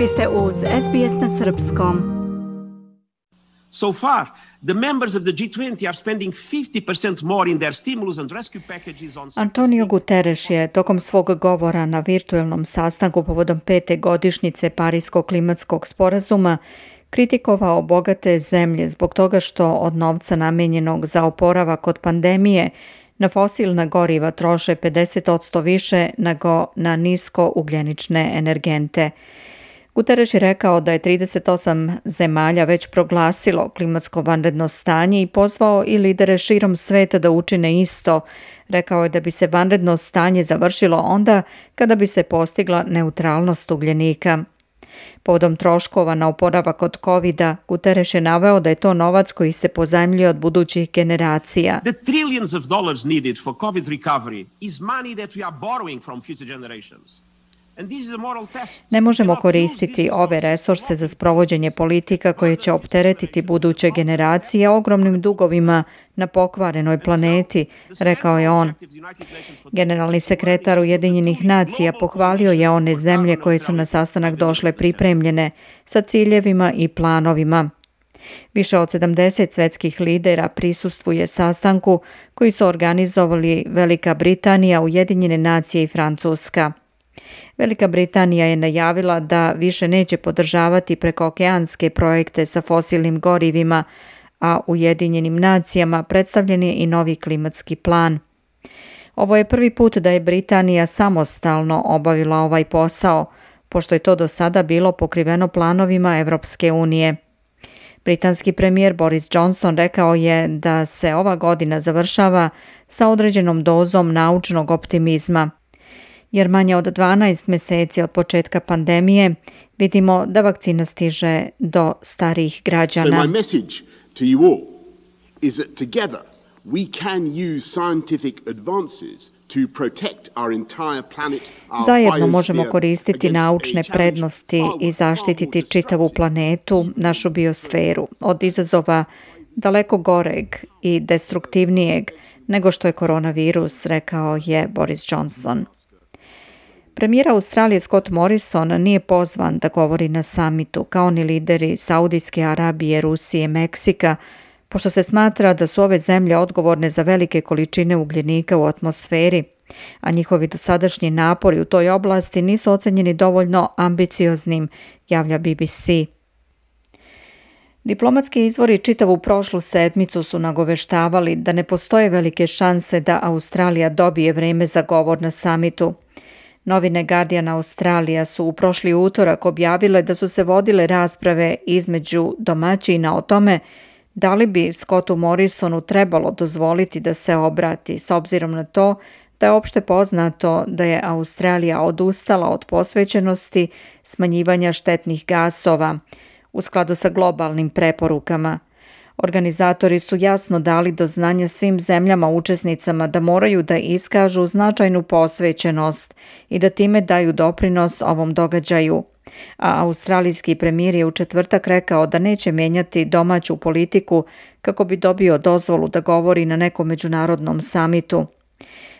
Vi ste uz SBS na srpskom. So far, the members of the G20 are spending 50% more in their stimulus and rescue packages on... Antonio Guterres je tokom svog govora na virtuelnom sastanku povodom 5. godišnjice Pariskog klimatskog sporazuma kritikovao bogate zemlje zbog toga što od novca namijenjenog za oporavak od pandemije na fosilna goriva troše 50% više nego na nisko ugljenične energente. Guterres je rekao da je 38 zemalja već proglasilo klimatsko vanredno stanje i pozvao i lidere širom sveta da učine isto. Rekao je da bi se vanredno stanje završilo onda kada bi se postigla neutralnost ugljenika. Povodom troškova na oporavak od COVID-a, Guterres je naveo da je to novac koji se pozajmljuje od budućih generacija. The trillions of dollars needed for COVID recovery is money that we are borrowing from future generations. Ne možemo koristiti ove resurse za sprovođenje politika koje će opteretiti buduće generacije ogromnim dugovima na pokvarenoj planeti, rekao je on. Generalni sekretar Ujedinjenih nacija pohvalio je one zemlje koje su na sastanak došle pripremljene sa ciljevima i planovima. Više od 70 svetskih lidera prisustvuje sastanku koji su organizovali Velika Britanija, Ujedinjene nacije i Francuska. Velika Britanija je najavila da više neće podržavati prekookeanske projekte sa fosilnim gorivima, a Ujedinjenim nacijama predstavljen je i novi klimatski plan. Ovo je prvi put da je Britanija samostalno obavila ovaj posao, pošto je to do sada bilo pokriveno planovima Evropske unije. Britanski premijer Boris Johnson rekao je da se ova godina završava sa određenom dozom naučnog optimizma, jer manje od 12 mjeseci od početka pandemije vidimo da vakcina stiže do starijih građana. So my message to you all is that together we can use scientific advances to protect our entire planet. Zajedno možemo koristiti naučne prednosti i zaštititi čitavu planetu, našu biosferu, od izazova daleko goreg i destruktivnijeg nego što je koronavirus, rekao je Boris Johnson. Premijer Australije Scott Morrison nije pozvan da govori na samitu, kao ni lideri Saudijske Arabije, Rusije, Meksika, pošto se smatra da su ove zemlje odgovorne za velike količine ugljenika u atmosferi, a njihovi dosadašnji napori u toj oblasti nisu ocenjeni dovoljno ambicioznim, javlja BBC. Diplomatski izvori čitavu prošlu sedmicu su nagoveštavali da ne postoje velike šanse da Australija dobije vreme za govor na samitu. Novine Guardian Australija su u prošli utorak objavile da su se vodile rasprave između domaćina o tome da li bi Scottu Morrisonu trebalo dozvoliti da se obrati, s obzirom na to da je opšte poznato da je Australija odustala od posvećenosti smanjivanja štetnih gasova u skladu sa globalnim preporukama. Organizatori su jasno dali do znanja svim zemljama učesnicama da moraju da iskažu značajnu posvećenost i da time daju doprinos ovom događaju. A australijski premijer je u četvrtak rekao da neće mijenjati domaću politiku kako bi dobio dozvolu da govori na nekom međunarodnom samitu.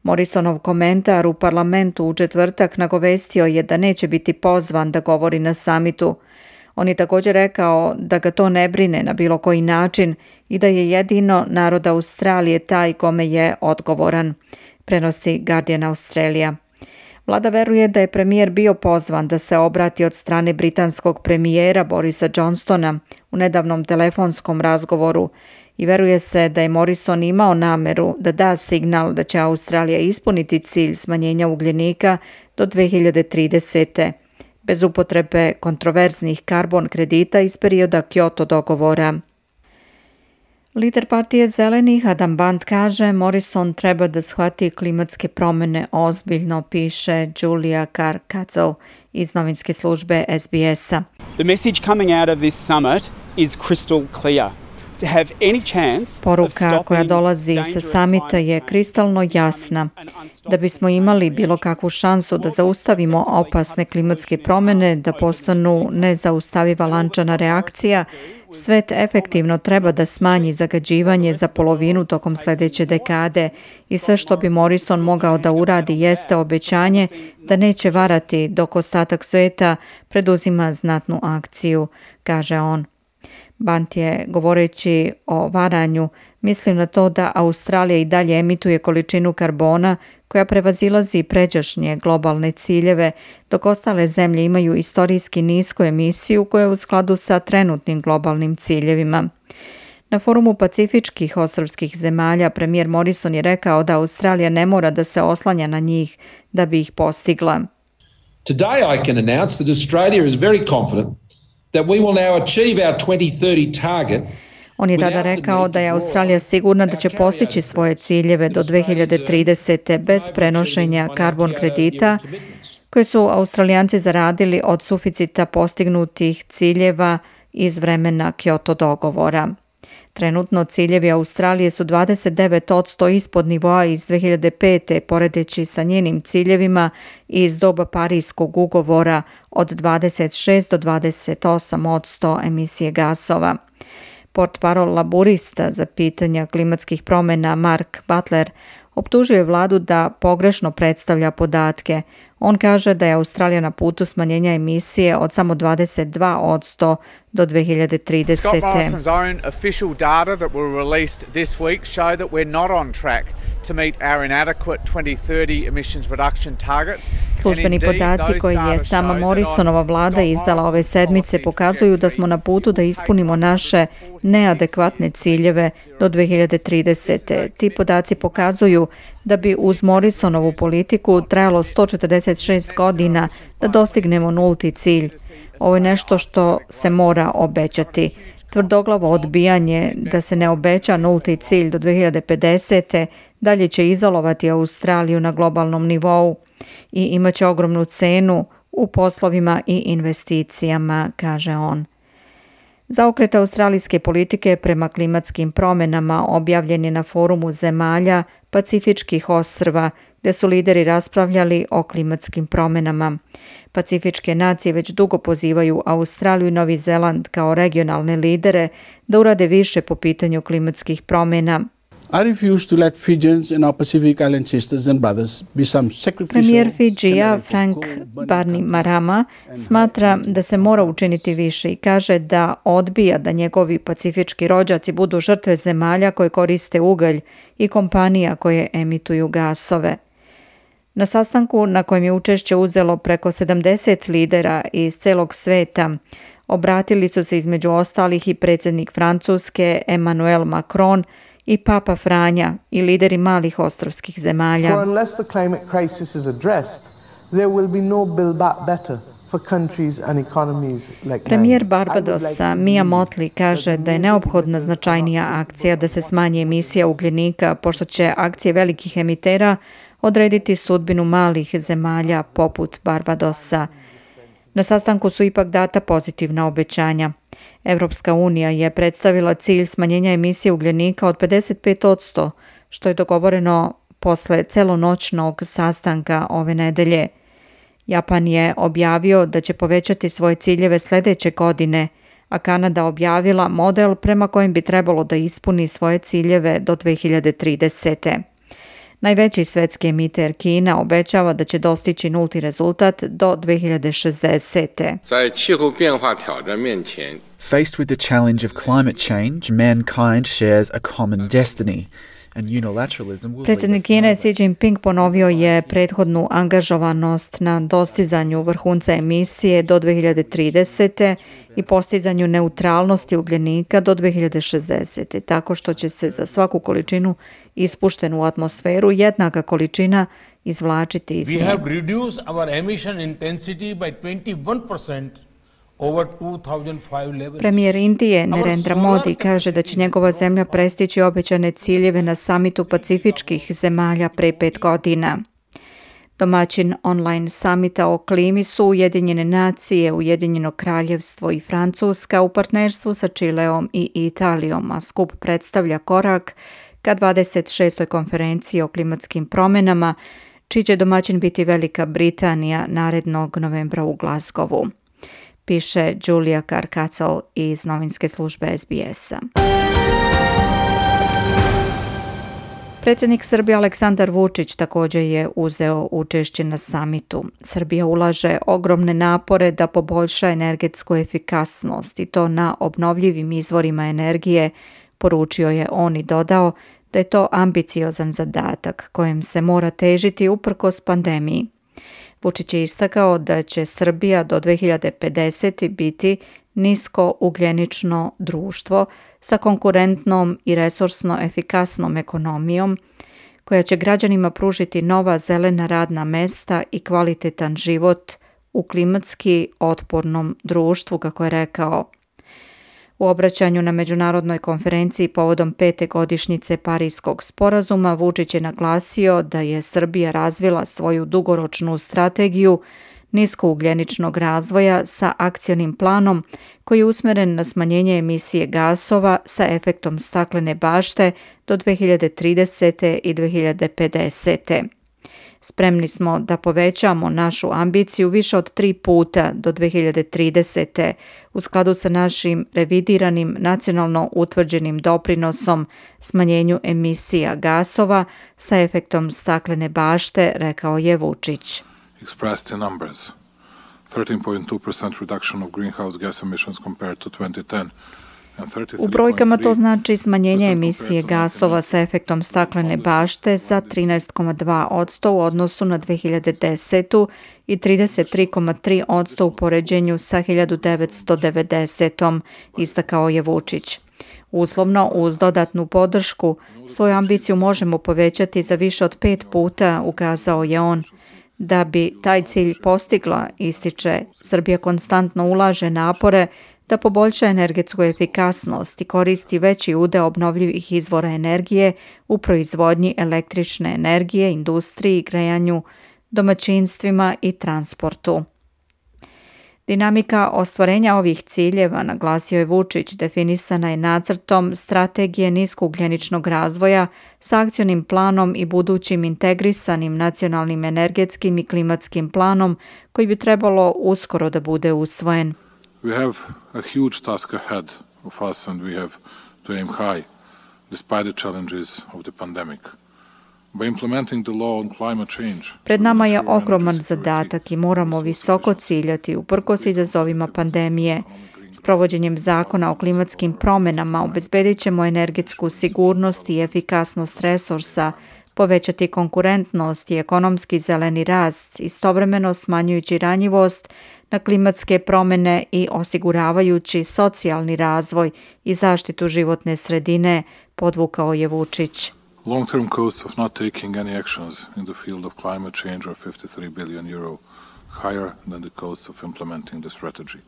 Morrisonov komentar u parlamentu u četvrtak nagovestio je da neće biti pozvan da govori na samitu. On je također rekao da ga to ne brine na bilo koji način i da je jedino narod Australije taj kome je odgovoran, prenosi Guardian Australia. Vlada veruje da je premijer bio pozvan da se obrati od strane britanskog premijera Borisa Johnsona u nedavnom telefonskom razgovoru i veruje se da je Morrison imao nameru da da signal da će Australija ispuniti cilj smanjenja ugljenika do 2030. bez upotrebe kontroverznih karbon kredita iz perioda Kyoto dogovora. Lider partije Zelenih Adam Band kaže Morrison treba da shvati klimatske promjene ozbiljno, piše Julia Carr-Katzel iz novinske službe SBS-a. The message coming out of this summit is crystal clear. Poruka koja dolazi sa samita je kristalno jasna. Da bismo imali bilo kakvu šansu da zaustavimo opasne klimatske promjene, da postanu nezaustaviva lančana reakcija, svet efektivno treba da smanji zagađivanje za polovinu tokom sljedeće dekade i sve što bi Morrison mogao da uradi jeste obećanje da neće varati dok ostatak sveta preduzima znatnu akciju, kaže on. Bant je, govoreći o varanju, mislim na to da Australija i dalje emituje količinu karbona koja prevazilazi pređašnje globalne ciljeve, dok ostale zemlje imaju istorijski nisku emisiju koja je u skladu sa trenutnim globalnim ciljevima. Na forumu pacifičkih ostrvskih zemalja premijer Morrison je rekao da Australija ne mora da se oslanja na njih da bi ih postigla. Today I can announce that Australia is very confident that we will now achieve our 2030 target. On je tada rekao da je Australija sigurna da će postići svoje ciljeve do 2030. bez prenošenja karbon kredita koje su Australijanci zaradili od suficita postignutih ciljeva iz vremena Kyoto dogovora. Trenutno ciljevi Australije su 29% ispod nivoa iz 2005. poredeći sa njenim ciljevima iz doba Parijskog ugovora od 26 do 28% emisije gasova. Portparol laburista za pitanja klimatskih promjena Mark Butler optužuje vladu da pogrešno predstavlja podatke. On kaže da je Australija na putu smanjenja emisije od samo 22% do 2030. Scott Morrison's own official data that were released this week show that we're not on track to meet our inadequate 2030 emissions reduction targets. Službeni podaci koje je sama Morrisonova vlada izdala ove sedmice pokazuju da smo na putu da ispunimo naše neadekvatne ciljeve do 2030. Ti podaci pokazuju da bi uz Morrisonovu politiku trajalo 146 godina da dostignemo nulti cilj. Ovo je nešto što se mora obećati. Tvrdoglavo odbijanje da se ne obeća nulti cilj do 2050. dalje će izolovati Australiju na globalnom nivou i imaće ogromnu cenu u poslovima i investicijama, kaže on. Zaokret australijske politike prema klimatskim promjenama objavljen je na forumu zemalja Pacifičkih ostrva, gdje su lideri raspravljali o klimatskim promjenama. Pacifičke nacije već dugo pozivaju Australiju i Novi Zeland kao regionalne lidere da urade više po pitanju klimatskih promjena. Premijer Fidžija Frank Bainimarama smatra da se mora učiniti više i kaže da odbija da njegovi pacifički rođaci budu žrtve zemalja koje koriste ugalj i kompanija koje emituju gasove. Na sastanku na kojem je učešće uzelo preko 70 lidera iz celog sveta, obratili su se između ostalih i predsjednik Francuske Emmanuel Macron i Papa Franja i lideri malih ostrvskih zemalja. Premijer Barbadosa Mia Mottley kaže da je neophodna značajnija akcija da se smanji emisija ugljenika, pošto će akcije velikih emitera odrediti sudbinu malih zemalja poput Barbadosa. Na sastanku su ipak data pozitivna obećanja. Evropska unija je predstavila cilj smanjenja emisije ugljenika od 55%, što je dogovoreno posle celonoćnog sastanka ove nedelje. Japan je objavio da će povećati svoje ciljeve sljedeće godine, a Kanada objavila model prema kojem bi trebalo da ispuni svoje ciljeve do 2030. Najveći svetski emiter Kina obećava da će dostići nulti rezultat do 2060. Faced with the challenge of climate change, mankind shares a common destiny. Predsjednik Kine Xi Jinping ponovio je prethodnu angažovanost na dostizanju vrhunca emisije do 2030. i postizanju neutralnosti ugljenika do 2060. tako što će se za svaku količinu ispuštenu u atmosferu jednaka količina izvlačiti iz nje. We have reduced our emission intensity by 21% over 2005 levels. Premijer Indije Narendra Modi kaže da će njegova zemlja prestići obećane ciljeve na samitu pacifičkih zemalja pre 5 godina. Domaćin online samita o klimi su Ujedinjene nacije, Ujedinjeno kraljevstvo i Francuska u partnerstvu sa Čileom i Italijom, a skup predstavlja korak ka 26. konferenciji o klimatskim promjenama, čiji će domaćin biti Velika Britanija narednog novembra u Glasgowu, piše Julia Carcassel iz novinske službe SBS-a. Predsjednik Srbije Aleksandar Vučić također je uzeo učešće na samitu. Srbija ulaže ogromne napore da poboljša energetsku efikasnost i to na obnovljivim izvorima energije, poručio je on i dodao da je to ambiciozan zadatak kojem se mora težiti uprkos pandemiji. Vučić je istakao da će Srbija do 2050. biti nisko ugljenično društvo sa konkurentnom i resursno efikasnom ekonomijom koja će građanima pružiti nova zelena radna mesta i kvalitetan život u klimatski otpornom društvu, kako je rekao. U obraćanju na međunarodnoj konferenciji povodom 5. godišnjice Pariskog sporazuma Vučić je naglasio da je Srbija razvila svoju dugoročnu strategiju niskougljeničnog razvoja sa akcionim planom koji je usmjeren na smanjenje emisije gasova sa efektom staklene bašte do 2030. i 2050. Spremni smo da povećamo našu ambiciju više od 3 puta do 2030. u skladu sa našim revidiranim nacionalno utvrđenim doprinosom smanjenju emisija gasova sa efektom staklene bašte, rekao je Vučić. Expressed in numbers, 13.2% reduction of greenhouse gas emissions compared to 2010. U brojkama to znači smanjenje emisije gasova sa efektom staklene bašte za 13,2% u odnosu na 2010. i 33,3% u poređenju sa 1990. istakao je Vučić. Uslovno, uz dodatnu podršku, svoju ambiciju možemo povećati za više od 5 puta, ukazao je on. Da bi taj cilj postigla, ističe, Srbija konstantno ulaže napore da poboljša energetsku efikasnost i koristi veći udeo obnovljivih izvora energije u proizvodnji električne energije, industriji, grejanju, domaćinstvima i transportu. Dinamika ostvarenja ovih ciljeva, naglasio je Vučić, definisana je nacrtom strategije niskougljeničnog razvoja s akcionim planom i budućim integrisanim nacionalnim energetskim i klimatskim planom koji bi trebalo uskoro da bude usvojen. We have a huge task ahead of us and we have to aim high despite the challenges of the pandemic. By implementing the law on climate change, Pred nama je ogroman zadatak i moramo visoko ciljati uprkos izazovima pandemije. S provođenjem zakona o klimatskim promjenama obezbedit ćemo energetsku sigurnost i efikasnost resursa, povećati konkurentnost i ekonomski zeleni rast, istovremeno smanjujući ranjivost na klimatske promjene i osiguravajući socijalni razvoj i zaštitu životne sredine, podvukao je Vučić. long-term costs of not taking any actions in the field of climate change are 53 billion euro, higher than the costs of implementing the strategy.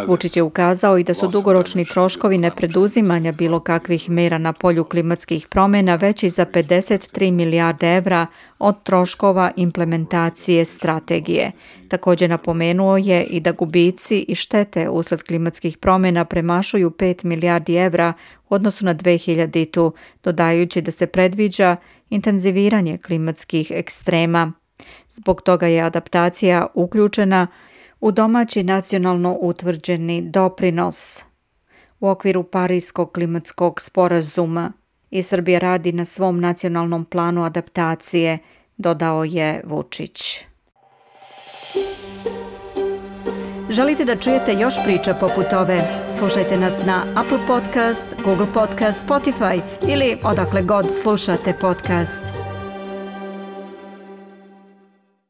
Vučić je ukazao i da su dugoročni troškovi nepreduzimanja bilo kakvih mera na polju klimatskih promjena veći za 53 milijarde evra od troškova implementacije strategije. Također napomenuo je i da gubici i štete usled klimatskih promjena premašuju 5 milijardi evra u odnosu na 2000, dodajući da se predviđa intenziviranje klimatskih ekstrema. Zbog toga je adaptacija uključena u domaći nacionalno utvrđeni doprinos u okviru Pariskog klimatskog sporazuma i Srbija radi na svom nacionalnom planu adaptacije, dodao je Vučić. Želite da čujete još priča poput ove? Slušajte nas na Apple Podcast, Google Podcast, Spotify ili odakle god slušate podcast.